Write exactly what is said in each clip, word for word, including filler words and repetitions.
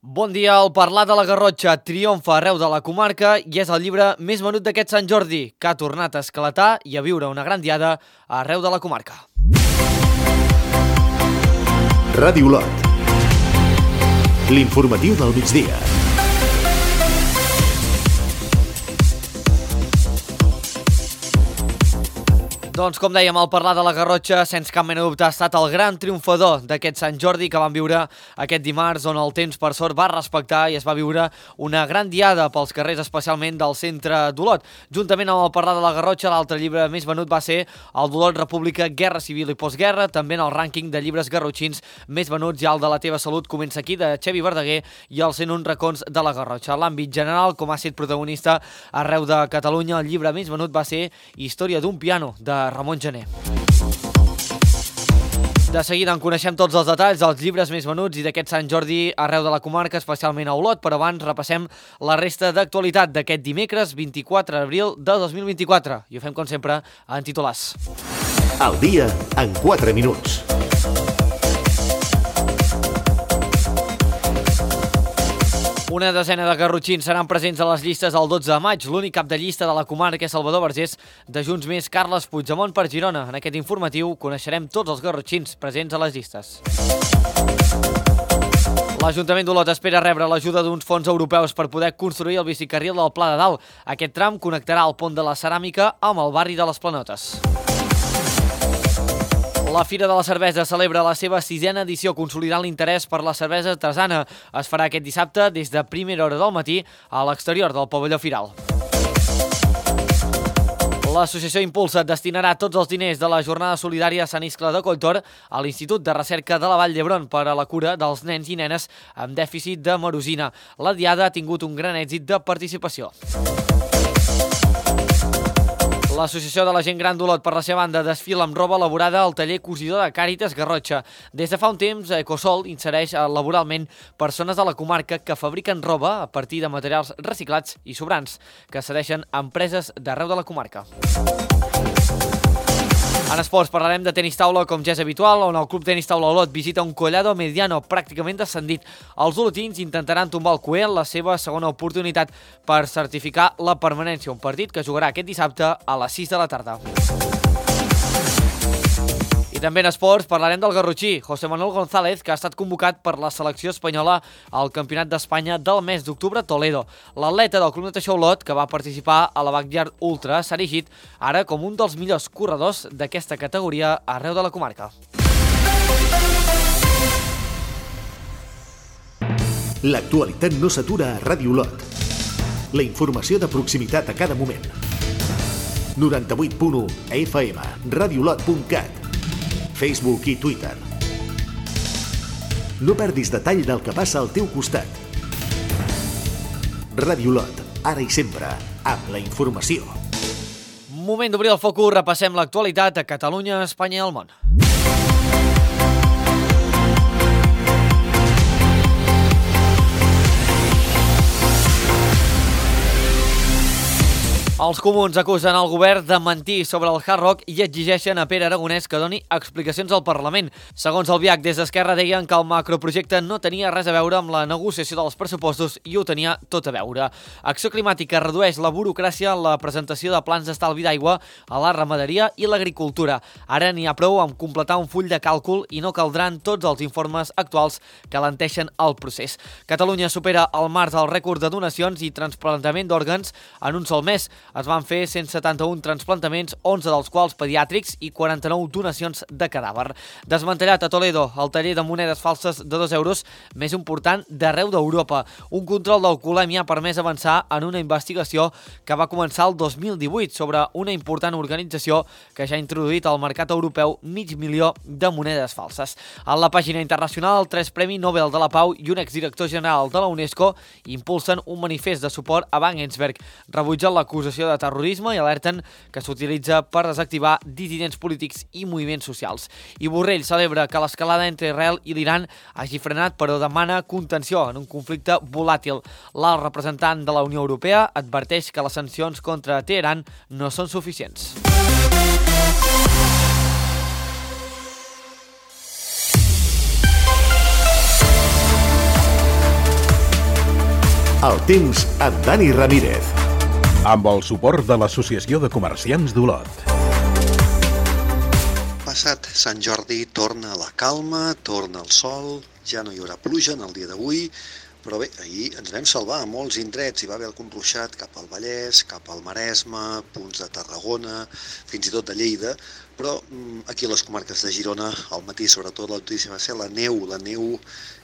Bon dia, el Parlar de la Garrotxa triomfa arreu de la comarca i és el llibre més venut d'aquest Sant Jordi, que ha tornat a esclatar i a viure una gran diada arreu de la comarca. Ràdio Olot, l'informatiu del migdia. Doncs, com dèiem, el Parlar de la Garrotxa, sense cap mena de dubte, ha estat el gran triomfador d'aquest Sant Jordi que vam viure aquest dimarts, on el temps, per sort, va respectar i es va viure una gran diada pels carrers, especialment del centre d'Olot. Juntament amb el Parlar de la Garrotxa, l'altre llibre més venut va ser el d'Olot, República, Guerra Civil i Postguerra, també en el rànquing de llibres garrotxins més venuts, i el de La teva salut comença aquí, de Xevi Verdaguer, i els cent un racons de la Garrotxa. A l'àmbit general, com ha estat protagonista arreu de Catalunya, el llibre més venut va ser Història d'un piano, de Ramon Gené. De seguida en coneixem tots els detalls dels llibres més venuts i d'aquest Sant Jordi arreu de la comarca, especialment a Olot, però abans repassem la resta d'actualitat d'aquest dimecres vint-i-quatre d'abril de dos mil vint-i-quatre. I ho fem, com sempre, en titulars. Al dia en quatre minuts. Una desena de garrotxins seran presents a les llistes el dotze de maig. L'únic cap de llista de la comarca és Salvador Vergés, de Junts Més, Carles Puigdemont per Girona. En aquest informatiu coneixerem tots els garrotxins presents a les llistes. L'Ajuntament d'Olot espera rebre l'ajuda d'uns fons europeus per poder construir el bicicarril del Pla de Dalt. Aquest tram connectarà el pont de la Ceràmica amb el barri de les Planotes. La Fira de la Cervesa celebra la seva sisena edició, consolidant l'interès per la cervesa artesana. Es farà aquest dissabte des de primera hora del matí a l'exterior del pavelló Firal. L'associació Impulsa destinarà tots els diners de la jornada solidària Sant Iscle de Colltor a l'Institut de Recerca de la Vall d'Hebron per a la cura dels nens i nenes amb dèficit de marosina. La diada ha tingut un gran èxit de participació. L'Associació de la Gent Gran d'Olot, per la seva banda, desfila amb roba elaborada al taller cosidor de Càritas Garrotxa. Des de fa un temps, Ecosol insereix laboralment persones de la comarca que fabriquen roba a partir de materials reciclats i sobrants, que cedeixen a empreses d'arreu de la comarca. En esports parlarem de tenis taula, com ja és habitual, on el Club Tenis Taula Olot visita un Collado Mediano pràcticament descendit. Els olotins intentaran tombar el Coel, la seva segona oportunitat per certificar la permanència, un partit que jugarà aquest dissabte a les sis de la tarda. I també en esports parlarem del garrotxí, José Manuel González, que ha estat convocat per la selecció espanyola al Campionat d'Espanya del mes d'octubre a Toledo. L'atleta del Club Natació Olot, que va participar a la Backyard Ultra, s'ha erigit ara com un dels millors corredors d'aquesta categoria arreu de la comarca. L'actualitat no s'atura a Ràdio Olot. La informació de proximitat a cada moment. noranta-vuit punt u F M, radiolot punt cat, Facebook i Twitter. No perdis detall del que passa al teu costat. Ràdio Olot, ara i sempre, amb la informació. Moment d'obrir el focus, repassem l'actualitat a Catalunya, Espanya i el món. Els comuns acusen el govern de mentir sobre el Hard Rock i exigeixen a Pere Aragonès que doni explicacions al Parlament. Segons el Biac, des d'Esquerra deien que el macroprojecte no tenia res a veure amb la negociació dels pressupostos i ho tenia tot a veure. Acció Climàtica redueix la burocràcia en la presentació de plans d'estalvi d'aigua a la ramaderia i l'agricultura. Ara n'hi ha prou amb completar un full de càlcul i no caldran tots els informes actuals que alenteixen el procés. Catalunya supera al març el rècord de donacions i trasplantament d'òrgans en un sol mes. Es van fer cent setanta-un trasplantaments, onze dels quals pediàtrics i quaranta-nou donacions de cadàver. Desmantellat a Toledo el taller de monedes falses de dos euros més important d'arreu d'Europa. Un control d'alcoholèmia ha permès avançar en una investigació que va començar el dos mil divuit sobre una important organització que ja ha introduït al mercat europeu mig milió de monedes falses. A la pàgina internacional, tres Premi Nobel de la Pau i un exdirector general de la UNESCO impulsen un manifest de suport a Wagensberg, rebutjant l'acusació de terrorisme i alerten que s'utilitza per desactivar dissidents polítics i moviments socials. I Borrell celebra que l'escalada entre Israel i l'Iran hagi frenat, però demana contenció en un conflicte volàtil. L'alt representant de la Unió Europea adverteix que les sancions contra Teheran no són suficients. El temps amb Dani Ramírez. Amb el suport de l'Associació de Comerciants d'Olot. Passat Sant Jordi torna la calma, torna el sol, ja no hi haurà pluja en el dia d'avui, però bé, ahir ens vam salvar a molts indrets, hi va haver algun ruixat cap al Vallès, cap al Maresme, punts de Tarragona, fins i tot de Lleida, però aquí a les comarques de Girona, al matí sobretot la notícia va ser la neu, la neu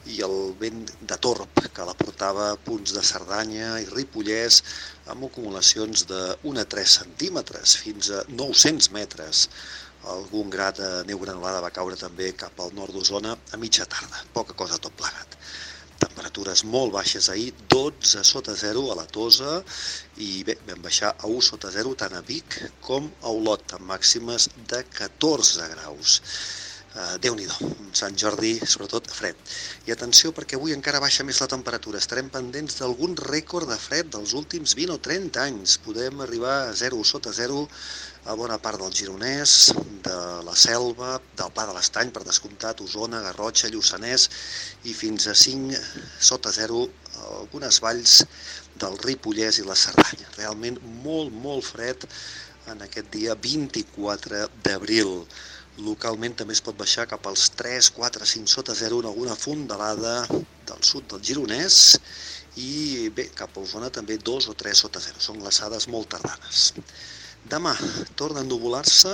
i el vent de torb que la portava a punts de Cerdanya i Ripollès amb acumulacions d'un a tres centímetres fins a nou-cents metres. Algun gra de neu granulada va caure també cap al nord d'Osona a mitja tarda, poca cosa tot plegat. Temperatures molt baixes ahir, dotze sota zero a la Tosa i bé, vam baixar a u sota zero tant a Vic com a Olot, amb màximes de catorze graus. Uh, Déu-n'hi-do, Sant Jordi, sobretot fred. I atenció perquè avui encara baixa més la temperatura, estarem pendents d'algun rècord de fred dels últims vint o trenta anys. Podem arribar a zero sota zero a bona part del Gironès, de la Selva, del Pla de l'Estany, per descomptat, Osona, Garrotxa, Lluçanès, i fins a cinc sota zero a algunes valls del Ripollès i la Cerdanya. Realment molt, molt fred en aquest dia vint-i-quatre d'abril. Localment també es pot baixar cap als tres, quatre, cinc sota zero en alguna fondalada del sud del Gironès i bé, cap a Osona també dos o tres sota zero. Són glaçades molt tardanes. Demà torna a ennuvolar-se,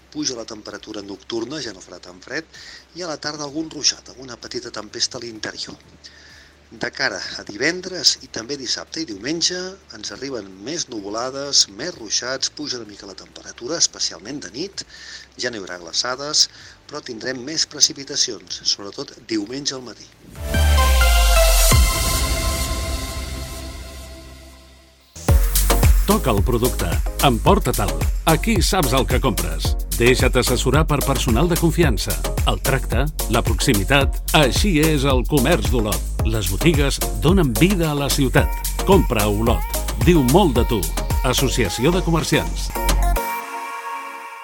puja la temperatura nocturna, ja no farà tan fred, i a la tarda algun ruixat, alguna petita tempesta a l'interior. De cara a divendres i també dissabte i diumenge ens arriben més nuvolades, més ruixats, puja una mica la temperatura, especialment de nit, ja no hi haurà glaçades, però tindrem més precipitacions, sobretot diumenge al matí. Toca el producte, emporta-te'l, aquí saps el que compres. Deixa't assessorar per personal de confiança. El tracte, la proximitat, així és el comerç d'Olot. Les botigues donen vida a la ciutat. Compra a Olot. Diu molt de tu. Associació de Comerciants.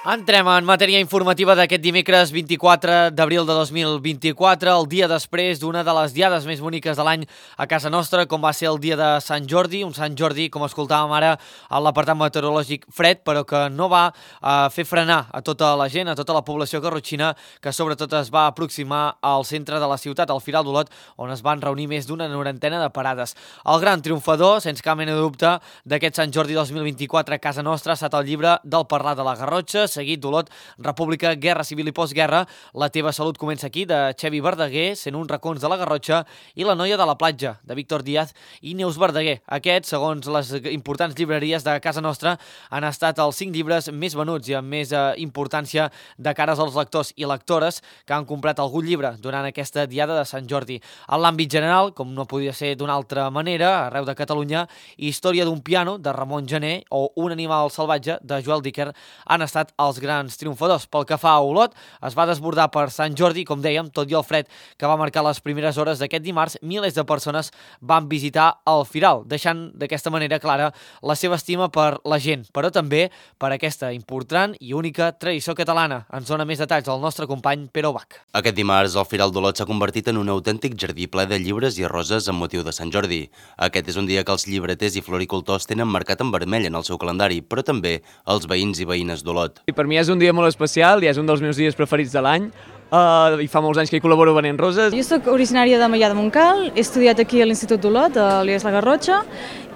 Entrem en matèria informativa d'aquest dimecres vint-i-quatre d'abril de dos mil vint-i-quatre, el dia després d'una de les diades més boniques de l'any a casa nostra, com va ser el dia de Sant Jordi, un Sant Jordi, com escoltàvem ara, a l'apartat meteorològic fred, però que no va eh, fer frenar a tota la gent, a tota la població garrotxina, que sobretot es va aproximar al centre de la ciutat, al Firal d'Olot, on es van reunir més d'una norantena de parades. El gran triomfador, sense cap mena de dubte, d'aquest Sant Jordi dos mil vint-i-quatre a casa nostra ha estat el llibre del Parlar de la Garrotxa, seguit d'Olot, República, Guerra Civil i Postguerra, La teva salut comença aquí, de Xevi Verdaguer, cent un racons de la Garrotxa, i La noia de la platja, de Víctor Díaz i Neus Verdaguer. Aquests, segons les importants llibreries de casa nostra, han estat els cinc llibres més venuts i amb més eh, importància de cares als lectors i lectores que han comprat algun llibre durant aquesta diada de Sant Jordi. En l'àmbit general, com no podia ser d'una altra manera, arreu de Catalunya, Història d'un piano, de Ramon Gené, o Un animal salvatge, de Joel Dicker, han estat els grans triomfadors. Pel que fa a Olot, es va desbordar per Sant Jordi, com dèiem, tot i el fred que va marcar les primeres hores d'aquest dimarts, milers de persones van visitar el Firal, deixant d'aquesta manera clara la seva estima per la gent, però també per aquesta important i única tradició catalana. Ens dona més detalls el nostre company Pere Ubach. Aquest dimarts, el Firal d'Olot s'ha convertit en un autèntic jardí ple de llibres i roses amb motiu de Sant Jordi. Aquest és un dia que els llibreters i floricultors tenen marcat en vermell en el seu calendari, però també els veïns i veïnes d'Olot. Per mi és un dia molt especial i és un dels meus dies preferits de l'any. Uh, i fa molts anys que hi col·laboro venent roses. Jo soc originària de Maià de Montcal, he estudiat aquí a l'Institut d'Olot, a l'I E S La Garrotxa,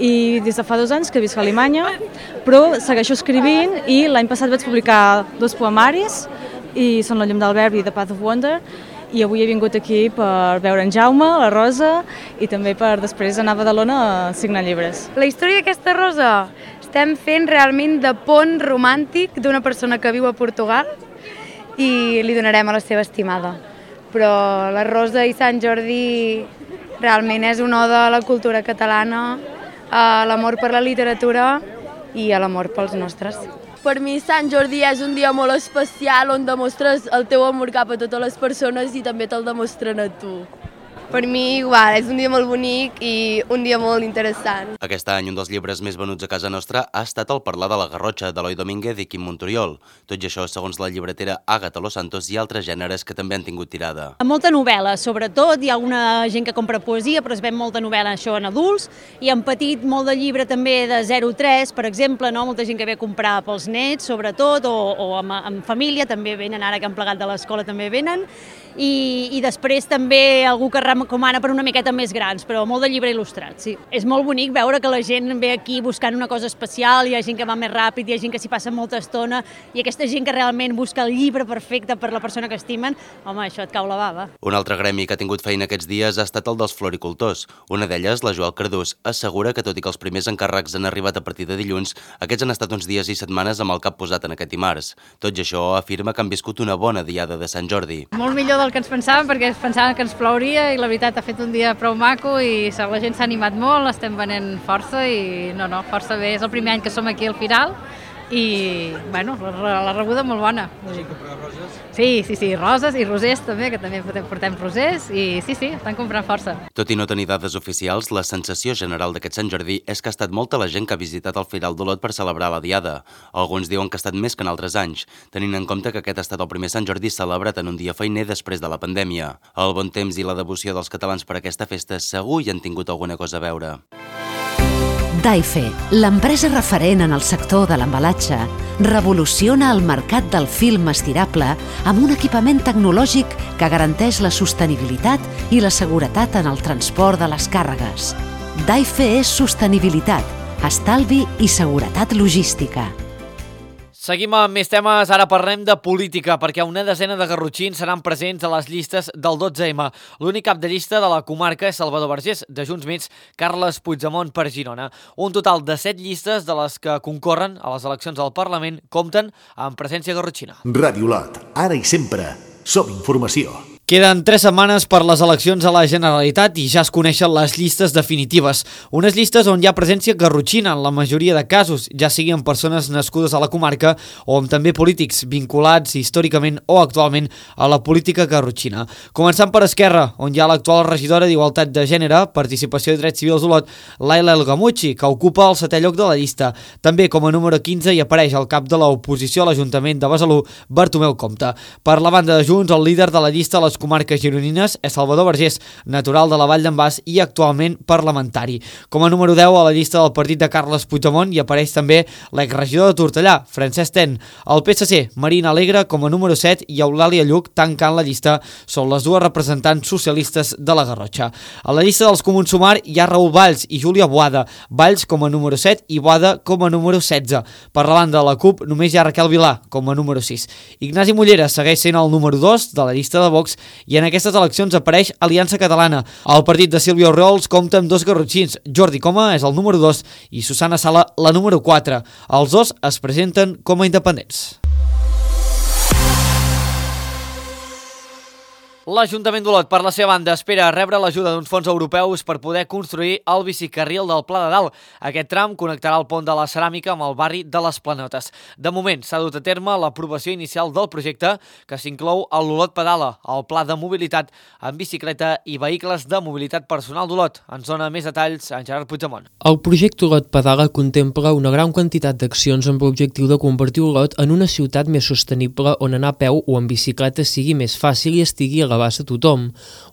i des de fa dos anys que visc a Alemanya, però segueixo escrivint i l'any passat vaig publicar dos poemaris, i són La llum del verb i The Path of Wonder, i avui he vingut aquí per veure en Jaume, la Rosa, i també per després anar a Badalona a signar llibres. La història d'aquesta rosa estem fent realment de pont romàntic d'una persona que viu a Portugal i li donarem a la seva estimada. Però la Rosa i Sant Jordi realment és una oda a la cultura catalana, a l'amor per la literatura i a l'amor pels nostres. Per mi Sant Jordi és un dia molt especial on demostres el teu amor cap a totes les persones i també te'l demostren a tu. Per mi igual, és un dia molt bonic i un dia molt interessant. Aquest any un dels llibres més venuts a casa nostra ha estat El parlar de la Garrotxa, d'Eloi Domínguez i Quim Montoriol. Tot i això, segons la llibretera Àgata Los Santos, hi ha altres gèneres que també han tingut tirada. Molta novel·la, sobretot. Hi ha alguna gent que compra poesia, però es ven molta novel·la això en adults. I en petit, molt de llibre també de zero a tres, per exemple, no? Molta gent que ve a comprar pels nets, sobretot, o, o amb, amb família, també venen, ara que han plegat de l'escola també venen. I, i després també algú que recomana per una miqueta més grans, però molt de llibre il·lustrat, sí. És molt bonic veure que la gent ve aquí buscant una cosa especial, hi ha gent que va més ràpid, hi ha gent que s'hi passa molta estona, i aquesta gent que realment busca el llibre perfecte per la persona que estimen, home, això et cau la bava. Un altre gremi que ha tingut feina aquests dies ha estat el dels floricultors. Una d'elles, la Joel Cardús, assegura que tot i que els primers encàrrecs han arribat a partir de dilluns, aquests han estat uns dies i setmanes amb el cap posat en aquest dimarts. Tot i això, afirma que han viscut una bona diada de Sant Jordi. Molt millor del que ens pensàvem, perquè pensàvem que ens plouria i la veritat ha fet un dia prou maco i la gent s'ha animat molt, estem venent força i no, no, força bé. És el primer any que som aquí al final i, bueno, la, la rebuda molt bona. Sí, comprar roses? Sí, sí, sí, roses i rosers també, que també portem rosers i sí, sí, estan comprant força. Tot i no tenir dades oficials, la sensació general d'aquest Sant Jordi és que ha estat molta la gent que ha visitat el Firal d'Olot per celebrar la diada. Alguns diuen que ha estat més que en altres anys, tenint en compte que aquest ha estat el primer Sant Jordi celebrat en un dia feiner després de la pandèmia. El bon temps i la devoció dels catalans per aquesta festa segur hi han tingut alguna cosa a veure. Daife, l'empresa referent en el sector de l'embalatge, revoluciona el mercat del film estirable amb un equipament tecnològic que garanteix la sostenibilitat i la seguretat en el transport de les càrregues. Daife és sostenibilitat, estalvi i seguretat logística. Seguim amb més temes, ara parlem de política, perquè una desena de garrotxins seran presents a les llistes del dotze ema. L'únic cap de llista de la comarca és Salvador Vergés, de Junts Mets, Carles Puigdemont per Girona. Un total de set llistes de les que concorren a les eleccions al Parlament compten amb presència garrotxina. Ràdio Lot, ara i sempre, som informació. Queden tres setmanes per les eleccions a la Generalitat i ja es coneixen les llistes definitives. Unes llistes on hi ha presència garrotxina en la majoria de casos, ja sigui amb persones nascudes a la comarca o amb també polítics vinculats històricament o actualment a la política garrotxina. Començant per Esquerra, on hi ha l'actual regidora d'Igualtat de Gènere, Participació i Drets Civils d'Olot, Laila El Gamuchi, que ocupa el setè lloc de la llista. També com a número quinze hi apareix el cap de l'oposició a l'Ajuntament de Besalú, Bartomeu Compte. Per la banda de Junts, el líder de la llista a les comarques gironines és Salvador Vergés, natural de la Vall d'en Bas i actualment parlamentari. Com a número deu a la llista del partit de Carles Puigdemont hi apareix també l'exregidor de Tortellà, Francesc Ten. El P S C, Marina Alegre, com a número set i Eulàlia Lluc tancant la llista són les dues representants socialistes de la Garrotxa. A la llista dels Comuns Sumar hi ha Raül Valls i Júlia Boada, Valls com a número set i Boada com a número setze. Per la banda de la CUP només hi ha Raquel Vilà com a número sis. Ignasi Mollera segueix sent el número dos de la llista de Vox i en aquestes eleccions apareix Aliança Catalana. El partit de Sílvia Orriols compta amb dos garrotxins. Jordi Coma és el número dos i Susana Sala la número quatre. Els dos es presenten com a independents. L'Ajuntament d'Olot, per la seva banda, espera rebre l'ajuda d'uns fons europeus per poder construir el bicicarril del Pla de Dalt. Aquest tram connectarà el pont de la Ceràmica amb el barri de les Planotes. De moment, s'ha dut a terme l'aprovació inicial del projecte, que s'inclou a l'Olot Pedala, el pla de mobilitat en bicicleta i vehicles de mobilitat personal d'Olot. Ens dona més detalls en Gerard Puigdemont. El projecte Olot Pedala contempla una gran quantitat d'accions amb l'objectiu de convertir Olot en una ciutat més sostenible on anar a peu o en bicicleta sigui més fàcil i estigui a l'abast de tothom.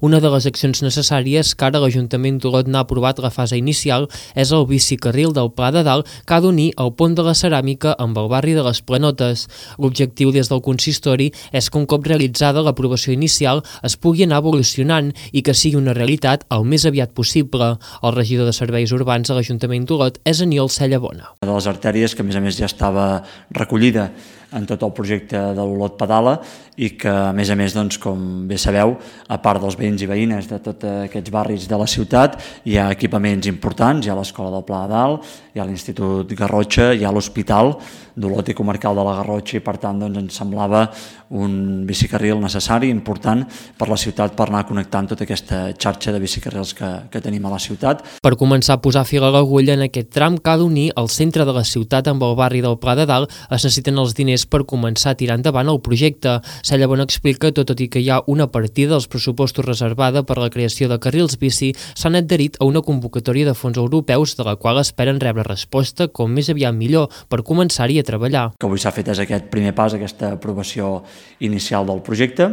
Una de les accions necessàries que ara l'Ajuntament d'Olot n'ha aprovat la fase inicial és el bicicarril del Pla de Dalt que ha d'unir el pont de la Ceràmica amb el barri de les Planotes. L'objectiu des del consistori és que un cop realitzada l'aprovació inicial es pugui anar evolucionant i que sigui una realitat el més aviat possible. El regidor de Serveis Urbans a l'Ajuntament d'Olot és Aniol Cellabona. De les artèries que a més a més ja estava recollida en tot el projecte de l'Olot Pedala i que a més a més, doncs, com bé sabeu, a part dels veïns i veïnes de tots aquests barris de la ciutat hi ha equipaments importants, hi ha l'Escola del Pla de Dalt, hi ha l'Institut Garrotxa, hi ha l'Hospital d'Olot i Comarcal de la Garrotxa i per tant doncs, ens semblava un bicicarril necessari, important per la ciutat per anar connectant tota aquesta xarxa de bicicarrils que, que tenim a la ciutat. Per començar a posar fil a l'agulla en aquest tram cal unir el centre de la ciutat amb el barri del Pla de Dalt es necessiten els diners diners per començar a tirar endavant el projecte. Sallabon explica que, tot i que hi ha una partida dels pressupostos reservada per la creació de carrils bici, s'han adherit a una convocatòria de fons europeus de la qual esperen rebre resposta com més aviat millor per començar-hi a treballar. Que avui s'ha fet és aquest primer pas, aquesta aprovació inicial del projecte,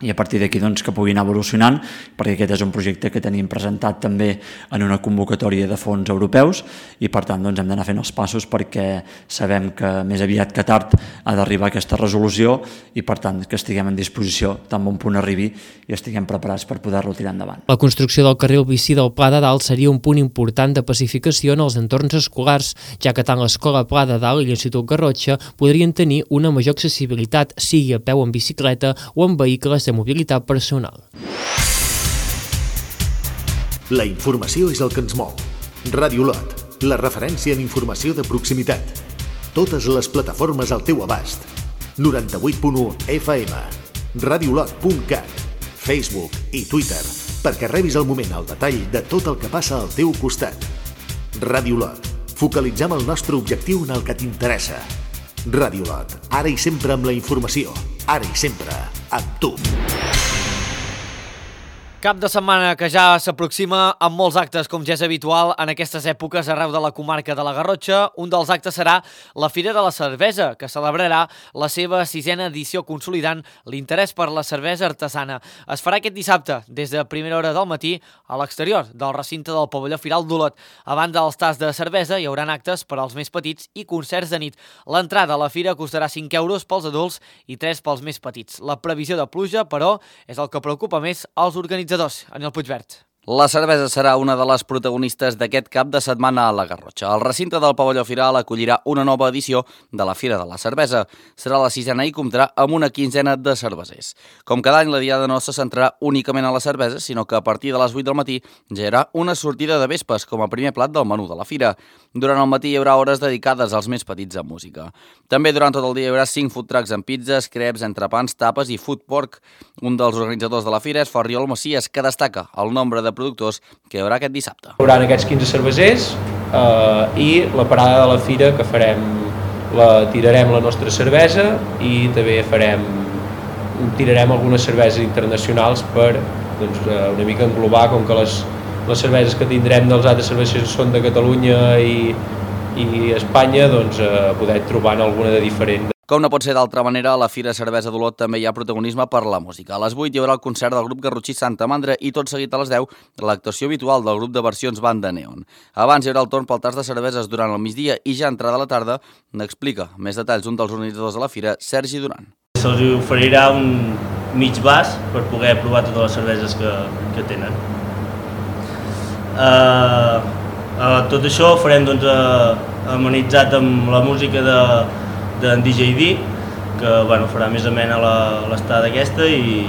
i a partir d'aquí doncs, que pugui anar evolucionant, perquè aquest és un projecte que tenim presentat també en una convocatòria de fons europeus i per tant doncs, hem d'anar fent els passos perquè sabem que més aviat que tard ha d'arribar aquesta resolució i per tant que estiguem en disposició tan bon punt arribi i estiguem preparats per poder-lo tirar endavant. La construcció del carril bici del Pla de Dalt seria un punt important de pacificació en els entorns escolars, ja que tant l'Escola Pla de Dalt i l'Institut Garrotxa podrien tenir una major accessibilitat, sigui a peu en bicicleta o en vehicles de mobilitat personal. La informació és el que ens mou. Ràdio Lot, la referència en informació de proximitat. Totes les plataformes al teu abast. noranta-vuit punt u F M, radiolot punt cat, Facebook i Twitter, perquè rebis al moment el detall de tot el que passa al teu costat. Ràdio Lot, focalitzem el nostre objectiu en el que t'interessa. Ràdio Lot, ara i sempre amb la informació, ara i sempre amb tu. Cap de setmana que ja s'aproxima amb molts actes, com ja és habitual en aquestes èpoques arreu de la comarca de la Garrotxa. Un dels actes serà la Fira de la Cervesa, que celebrarà la seva sisena edició consolidant l'interès per la cervesa artesana. Es farà aquest dissabte, des de primera hora del matí, a l'exterior del recinte del pavelló Firal d'Olot. A banda dels tasts de cervesa, hi haurà actes per als més petits i concerts de nit. L'entrada a la fira costarà cinc euros pels adults i tres pels més petits. La previsió de pluja, però, és el que preocupa més als organitzadors. Aniol Puigvert. La cervesa serà una de les protagonistes d'aquest cap de setmana a la Garrotxa. El recinte del pavelló Firal acollirà una nova edició de la Fira de la Cervesa. Serà la sisena i comptarà amb una quinzena de cervesers. Com cada any, la diada no se centrarà únicament a la cervesa, sinó que a partir de les vuit del matí ja hi haurà una sortida de vespes com a primer plat del menú de la fira. Durant el matí hi haurà hores dedicades als més petits en música. També durant tot el dia hi haurà cinc food trucks amb pizzas, creps, entrepans, tapes i food pork. Un dels organitzadors de la fira és Ferriol Macias, que destaca el nombre de productors que hi haurà aquest dissabte. Hi haurà aquests quinze cervesers eh, i la parada de la fira que farem, la, tirarem la nostra cervesa i també farem, tirarem algunes cerveses internacionals per doncs, una mica englobar, com que les, les cerveses que tindrem dels altres cervesers són de Catalunya i, i Espanya, doncs eh, poder trobar alguna de diferent. Com no pot ser d'altra manera, a la Fira Cervesa d'Olot també hi ha protagonisme per la música. A les vuit hi haurà el concert del grup garrotxí Santa Mandra i tot seguit a les deu l'actuació habitual del grup de versions Banda Neon. Abans hi haurà el torn pel tast de cerveses durant el migdia i ja entrada a la tarda n'explica més detalls un dels organitzadors de la fira, Sergi Duran. Se'ls oferirà un mig vas per poder provar totes les cerveses que, que tenen. Uh, uh, tot això ho farem doncs, uh, amenitzat amb la música de d'en D J D, que bueno, farà més amena l'estada aquesta i,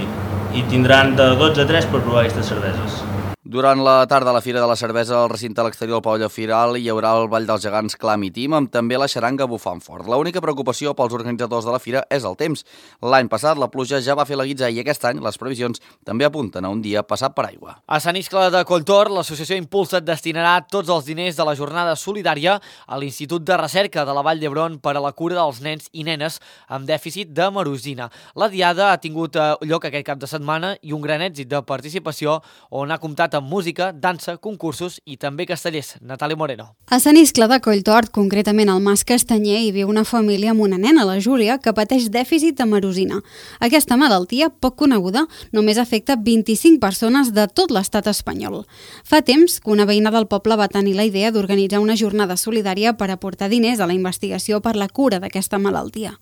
i tindran de dotze a tres per provar aquestes cerveses. Durant la tarda a la Fira de la Cervesa, al recinte a l'exterior del pavelló Firal, hi haurà el Ball dels Gegants Clam i Tim, amb també la xaranga bufant fort. L'única preocupació pels organitzadors de la fira és el temps. L'any passat la pluja ja va fer la guitza i aquest any les previsions també apunten a un dia passat per aigua. A Sant Iscle de Colltor, l'associació Impulsa't destinarà tots els diners de la jornada solidària a l'Institut de Recerca de la Vall d'Hebron per a la cura dels nens i nenes amb dèficit de marosina. La diada ha tingut lloc aquest cap de setmana i un gran èxit de participació on ha comptat amb música, dansa, concursos i també castellers. Natàlia Moreno. A Sant Iscle de Colltort, concretament al Mas Castanyer, hi viu una família amb una nena, la Júlia, que pateix dèficit de marosina. Aquesta malaltia, poc coneguda, només afecta vint-i-cinc persones de tot l'estat espanyol. Fa temps que una veïna del poble va tenir la idea d'organitzar una jornada solidària per aportar diners a la investigació per la cura d'aquesta malaltia.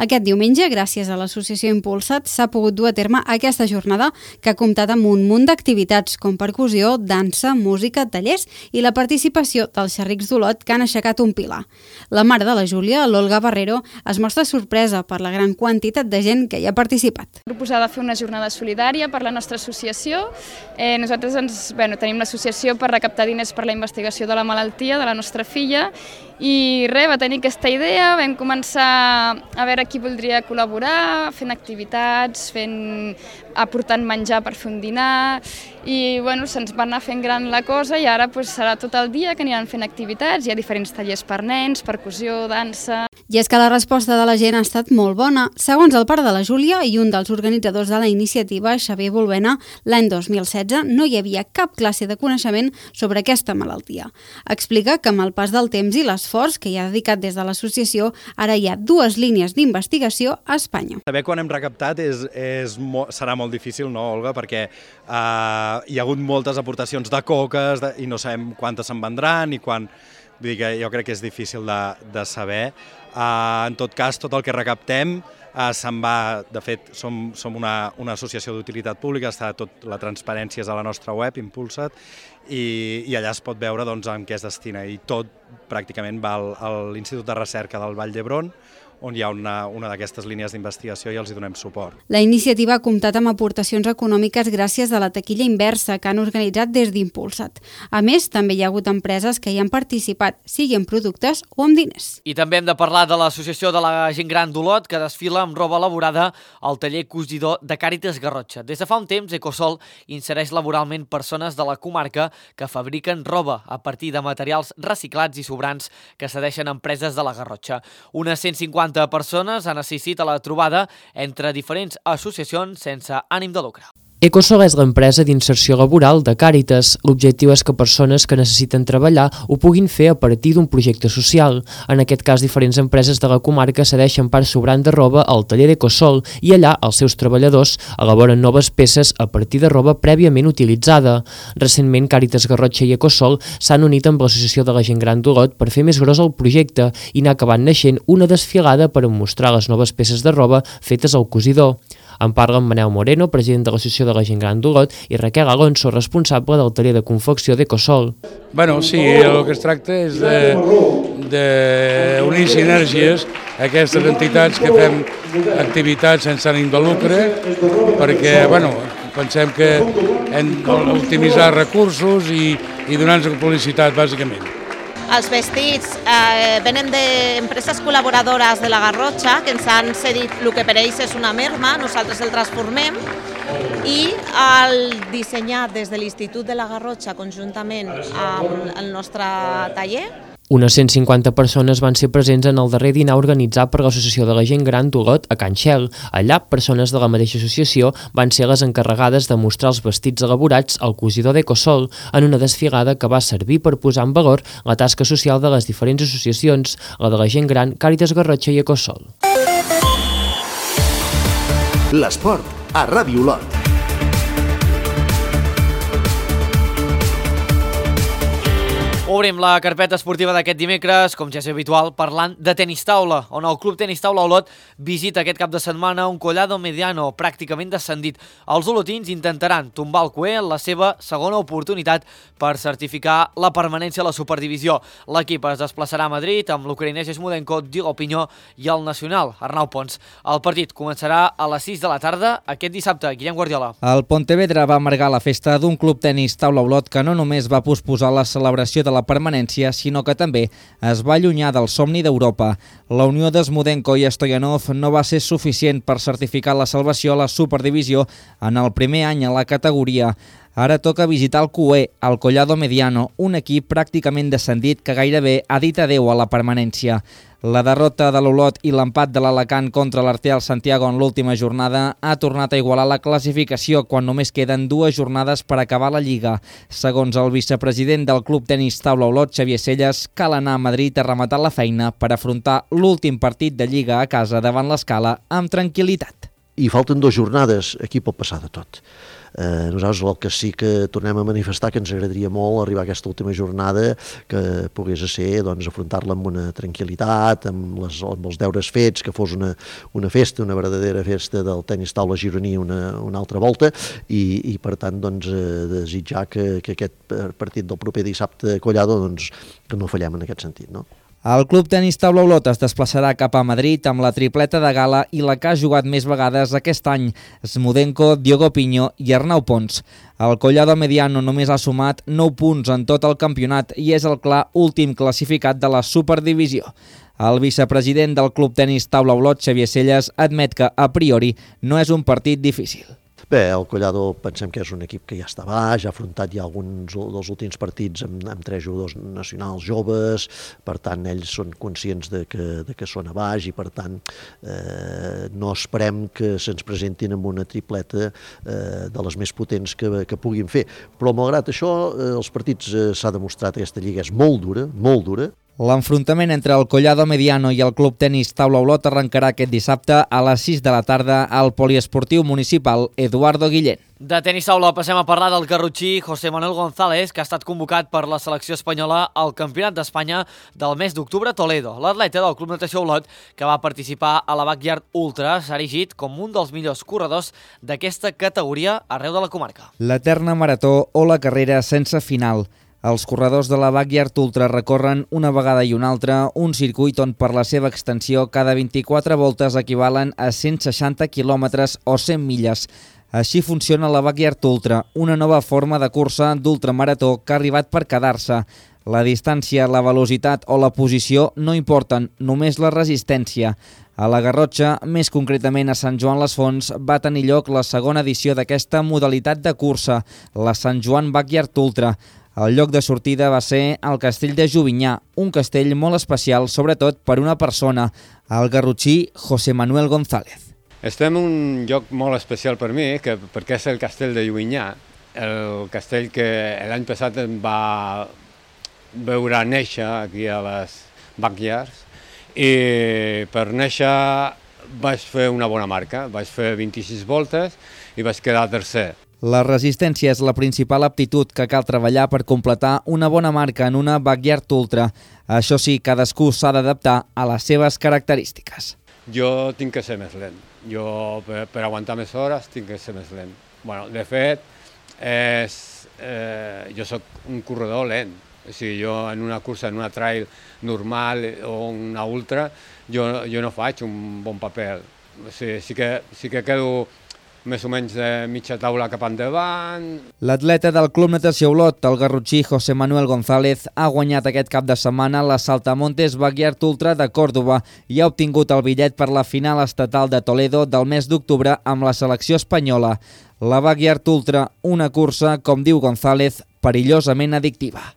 Aquest diumenge, gràcies a l'associació Impulsa't, s'ha pogut dur a terme aquesta jornada que ha comptat amb un munt d'activitats com per percussió, dansa, música, tallers i la participació dels xerrics d'Olot que han aixecat un pilar. La mare de la Júlia, l'Olga Barrero, es mostra sorpresa per la gran quantitat de gent que hi ha participat. Proposada fer una jornada solidària per la nostra associació. Eh, nosaltres ens, bueno, tenim l'associació per recaptar diners per la investigació de la malaltia de la nostra filla I res, va tenir aquesta idea, vam començar a veure qui voldria col·laborar, fent activitats, fent, aportant menjar per fer un dinar, i bueno, se'ns va anar fent gran la cosa i ara pues, serà tot el dia que aniran fent activitats, hi ha diferents tallers per nens, percussió, dansa... I és que la resposta de la gent ha estat molt bona. Segons el pare de la Júlia i un dels organitzadors de la iniciativa, Xavier Bolbena, l'any dos mil setze no hi havia cap classe de coneixement sobre aquesta malaltia. Explica que amb el pas del temps i l'esforç que hi ha dedicat des de l'associació, ara hi ha dues línies d'investigació a Espanya. Saber quan hem recaptat és, és, serà molt difícil, no, Olga? Perquè uh, hi ha hagut moltes aportacions de coques de, i no sabem quantes se'n vendran i quan... Vull dir que jo crec que és difícil de, de saber. Uh, en tot cas, tot el que recaptem uh, se'n va... De fet, som, som una, una associació d'utilitat pública, està tot, la transparència és a la nostra web, Impulsa't, i, i allà es pot veure doncs, en què es destina. I tot pràcticament va al, a l'Institut de Recerca del Vall d'Hebron, on hi ha una, una d'aquestes línies d'investigació i els hi donem suport. La iniciativa ha comptat amb aportacions econòmiques gràcies a la taquilla inversa que han organitzat des d'Impulsa't. A més, també hi ha hagut empreses que hi han participat, sigui amb productes o amb diners. I també hem de parlar de l'Associació de la Gent Gran d'Olot, que desfila amb roba elaborada al taller cosidor de Càritas Garrotxa. Des de fa un temps, Ecosol insereix laboralment persones de la comarca que fabriquen roba a partir de materials reciclats i sobrants que cedeixen empreses de la Garrotxa. Unes cent cinquanta persones han assistit a la trobada entre diferents associacions sense ànim de lucre. Ecosol és l'empresa d'inserció laboral de Càritas. L'objectiu és que persones que necessiten treballar ho puguin fer a partir d'un projecte social. En aquest cas, diferents empreses de la comarca cedeixen part sobrant de roba al taller d'Ecosol i allà els seus treballadors elaboren noves peces a partir de roba prèviament utilitzada. Recentment, Càritas Garrotxa i Ecosol s'han unit amb l'Associació de la Gent Gran d'Olot per fer més gros el projecte i n'ha acabat naixent una desfilada per mostrar les noves peces de roba fetes al cosidor. En parlen Manel Moreno, president de l'Associació de la Gent Gran d'Olot, i Raquel Alonso, responsable del taller de confecció d'Ecosol. Bueno, sí, el que es tracta és d'unir sinergies a aquestes entitats que fem activitats sense ànim de lucre, perquè bueno, pensem que hem d'optimitzar recursos i, i donar-nos publicitat, bàsicament. Els vestits eh, venen d'empreses col·laboradores de la Garrotxa que ens han cedit el que per ells és una merma, nosaltres el transformem i el dissenyat des de l'Institut de la Garrotxa conjuntament amb el nostre taller. Unes cent cinquanta persones van ser presents en el darrer dinar organitzat per l'Associació de la Gent Gran d'Olot a Can Xel. Allà, persones de la mateixa associació van ser les encarregades de mostrar els vestits elaborats al cosidor d'Ecosol en una desfilada que va servir per posar en valor la tasca social de les diferents associacions, la de la Gent Gran, Càritas Garrotxa i Ecosol. L'esport a Ràdio Olot. Obrim la carpeta esportiva d'aquest dimecres, com ja és habitual, parlant de tenis taula, on el Club Tenis Taula Olot visita aquest cap de setmana un Collado Mediano pràcticament descendit. Els olotins intentaran tombar el Cué en la seva segona oportunitat per certificar la permanència a la Superdivisió. L'equip es desplaçarà a Madrid amb l'ucraïnès Smudenko, Diego Pinyó i el nacional, Arnau Pons. El partit començarà a les sis de la tarda aquest dissabte. Guillem Guardiola. El Pontevedra va amargar la festa d'un Club Tenis Taula Olot que no només va posposar la celebració de la permanència, sinó que també es va allunyar del somni d'Europa. La unió de Smudenko i Stoyanov no va ser suficient per certificar la salvació a la Superdivisió en el primer any a la categoria. Ara toca visitar el Cué, el Collado Mediano, un equip pràcticament descendit que gairebé ha dit adeu a la permanència. La derrota de l'Olot i l'empat de l'Alacant contra l'Arteal Santiago en l'última jornada ha tornat a igualar la classificació quan només queden dues jornades per acabar la Lliga. Segons el vicepresident del Club Tenis Taula Olot, Xavier Selles, cal anar a Madrid a rematar la feina per afrontar l'últim partit de Lliga a casa davant l'Escala amb tranquil·litat. I falten dues jornades, aquí pot passar de tot. Eh, nosaltres el que sí que tornem a manifestar que ens agradaria molt arribar a aquesta última jornada, que pogués ser doncs, afrontar-la amb una tranquil·litat, amb, les, amb els deures fets, que fos una, una festa, una verdadera festa del tenis taula gironí una, una altra volta i, i per tant doncs, eh, desitjar que, que aquest partit del proper dissabte a Collado doncs, que no fallem en aquest sentit, no? El Club Tenis Taula Olot es desplaçarà cap a Madrid amb la tripleta de gala i la que ha jugat més vegades aquest any, Smudenko, Diogo Piño i Arnau Pons. El Collado Mediano només ha sumat nou punts en tot el campionat i és el clar últim classificat de la Superdivisió. El vicepresident del Club Tenis Taula Olot, Xavier Celles, admet que a priori no és un partit difícil. Bé, el Collado pensem que és un equip que ja està baix, ha afrontat ja alguns dels últims partits amb, amb tres jugadors nacionals joves, per tant ells són conscients de que, de que són a baix i per tant eh, no esperem que se'ns presentin amb una tripleta eh, de les més potents que, que puguin fer. Però malgrat això, eh, els partits eh, s'ha demostrat que aquesta lliga és molt dura, molt dura. L'enfrontament entre el Collado Mediano i el Club Tenis Taula Olot arrencarà aquest dissabte a les sis de la tarda al poliesportiu municipal Eduardo Guillén. De tenis taula passem a parlar del garrotxí José Manuel González, que ha estat convocat per la selecció espanyola al Campionat d'Espanya del mes d'octubre a Toledo. L'atleta del Club Natació Olot, que va participar a la Backyard Ultra, s'ha erigit com un dels millors corredors d'aquesta categoria arreu de la comarca. L'eterna marató o la carrera sense final. Els corredors de la Backyard Ultra recorren una vegada i una altra un circuit on per la seva extensió cada vint-i-quatre voltes equivalen a cent seixanta quilòmetres o cent milles. Així funciona la Backyard Ultra, una nova forma de cursa d'ultramarató que ha arribat per quedar-se. La distància, la velocitat o la posició no importen, només la resistència. A la Garrotxa, més concretament a Sant Joan les Fonts, va tenir lloc la segona edició d'aquesta modalitat de cursa, la Sant Joan Backyard Ultra. El lloc de sortida va ser el castell de Jovinyà, un castell molt especial, sobretot per una persona, el garrotxí José Manuel González. Estem en un lloc molt especial per mi, que, perquè és el castell de Jovinyà, el castell que l'any passat em va veure néixer aquí a les Backyards, i per néixer vaig fer una bona marca, vaig fer vint-i-sis voltes i vaig quedar tercer. La resistència és la principal aptitud que cal treballar per completar una bona marca en una Backyard Ultra. Això sí, cadascú s'ha d'adaptar a les seves característiques. Jo tinc que ser més lent. Jo, per, per aguantar més hores, tinc que ser més lent. Bueno, de fet, és, eh, jo sóc un corredor lent. O sigui, jo en una cursa, en una trail normal o una ultra, jo, jo no faig un bon paper. O sigui, sí que, sí que quedo més o menys de mitja taula cap endavant. L'atleta del Club Natació Olot, el garrotxí José Manuel González, ha guanyat aquest cap de setmana la Saltamontes Backyard Ultra de Còrdova i ha obtingut el bitllet per la final estatal de Toledo del mes d'octubre amb la selecció espanyola. La Backyard Ultra, una cursa, com diu González, perillosament addictiva.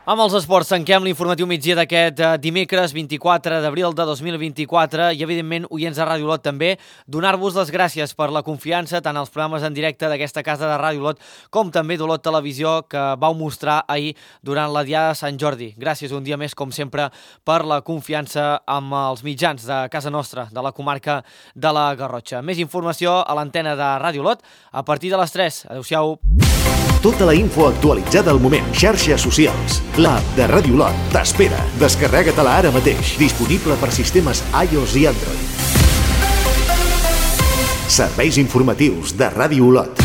Amb els esports tanquem l'informatiu migdia d'aquest dimecres vint-i-quatre d'abril de dos mil vint-i-quatre i, evidentment, oients de Ràdio Olot també, donar-vos les gràcies per la confiança tant als programes en directe d'aquesta casa de Ràdio Olot com també d'Olot Televisió que vau mostrar ahir durant la Diada de Sant Jordi. Gràcies un dia més, com sempre, per la confiança amb els mitjans de casa nostra, de la comarca de la Garrotxa. Més informació a l'antena de Ràdio Olot a partir de les tres. Adéu-siau. Tota la info actualitzada al moment. Xarxes socials. L'app de Ràdio Olot t'espera. Descarrega-te-la ara mateix. Disponible per sistemes iOS i Android. Serveis informatius de Ràdio Olot.